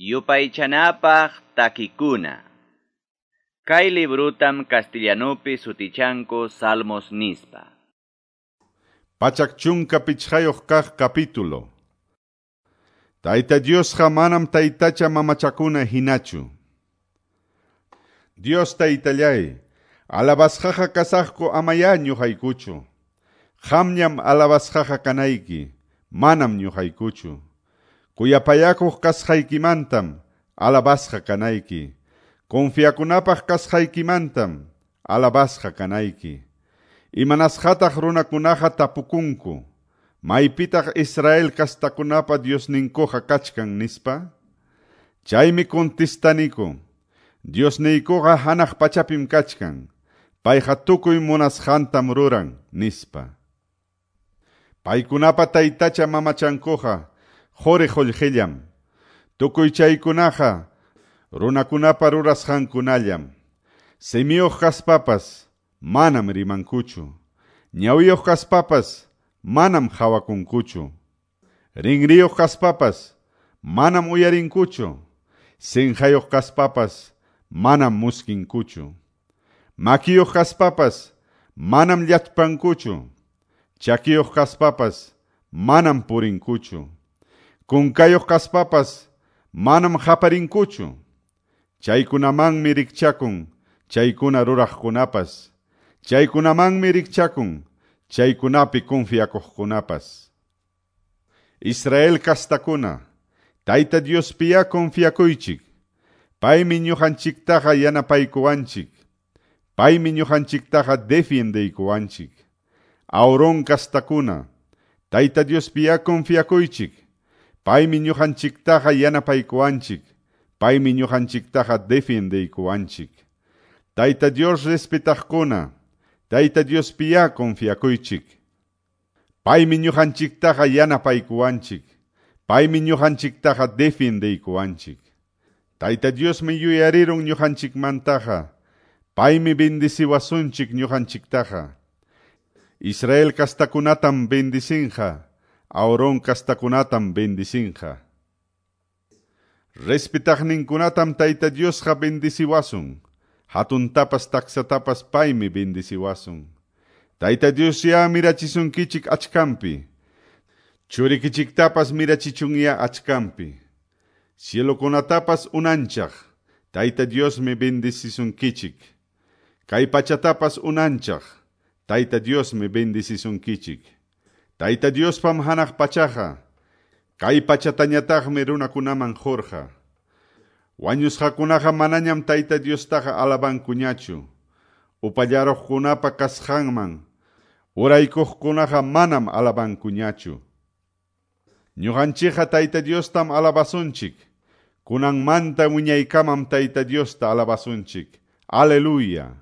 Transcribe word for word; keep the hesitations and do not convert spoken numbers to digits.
Yupaychanapaq takikuna. Kay librutam castellanupi sutichanku Salmos nispa. Pachak chunka pichqayuq kaq capítulo. Tayta Diosqa manam taytacha mamachakuna hinachu. Dios taytallay, alabasqaqa kasaqku amaya ñuqaykuchu. Qamñam alabasqaqa kanayki, manam ñuqaykuchu. Kuyapayakuq kasqaykimantam alabasqa kanayki. Confiakunapaq kasqaykimantam alabasqa kanayki. Imanasqataq runakunaqa tapukunku, maypitaq Israel kastakunapa Diosninkuqa kachkan nispa? Chaymi contestaniku, Diosniykuqa hanaq pachapim kachkan, payqa tukuy munasqantam ruran nispa. Paykunapa taytacha mamachankuqa quri qullqillam, tukuy chaykunaqa runakunapa rurasqankunallam. Simiyuq kaspapas manam rimankuchu, ñawiyuq kaspapas manam qhawakunkuchu, rinriyuq kaspapas manam uyarinkuchu, sinqayuq kaspapas manam muskinkuchu, makiyuq kaspapas manam llachpankuchu, chakiyuq kaspapas manam purinkuchu, kunkayuq kaspapas manam qaparinkuchu. Chaykunamanmi rikchakun chaykuna ruraqkunapas, chaykunamanmi rikchakun chaykunapi confiakuqkunapas. Israel kastakuna, Tayta Diospiya confiakuychik, paymi ñuqanchiktaqa yanapaykuwanchik, paymi ñuqanchiktaqa defiendeykuwanchik. Aarón kastakuna, Tayta Diospiya confiakuychik, paymi ñuqanchiktaqa yanapaykuwanchik, paymi ñuqanchiktaqa defiendeykuwanchik. Tayta Dios respetaqkuna, Tayta Diospiya confiakuychik, paymi ñuqanchiktaqa yanapaykuwanchik, paymi ñuqanchiktaqa defiendeykuwanchik. Tayta Diosmi yuyarirun ñuqanchikmantaqa, paymi bendiciwasunchik ñuqanchiktaqa. Israel kastakunatam bendicinqa, Aarón kastakunatam bendicinqa. Respetaqninkunatam Tayta Diosqa bendiciwasun, hatuntapas taksatapas paymi bendiciwasun. Tayta Dios ya mirachisunkichik achkampi, churikichiktapas mirachichunya achkampi. Cielokunatapas unanchaq, Tayta Diosmi bendicisunkichik. Kay pachatapas unanchaq, Tayta Diosmi bendicisunkichik. Tayta Diospam hanaq pachaqa, kay pachatañataqmi runakunaman qurqa. Wañusqakunaqa manañam Tayta Diostaqa alabankuñachu. Upallaruqkunapa kasqanman, uraykuqkunaqa manam alabankuñachu. Ñuqanchikqa Tayta Diostam alabasunchik, kunanmanta wiñaykamam Tayta Diosta alabasunchik. Aleluya.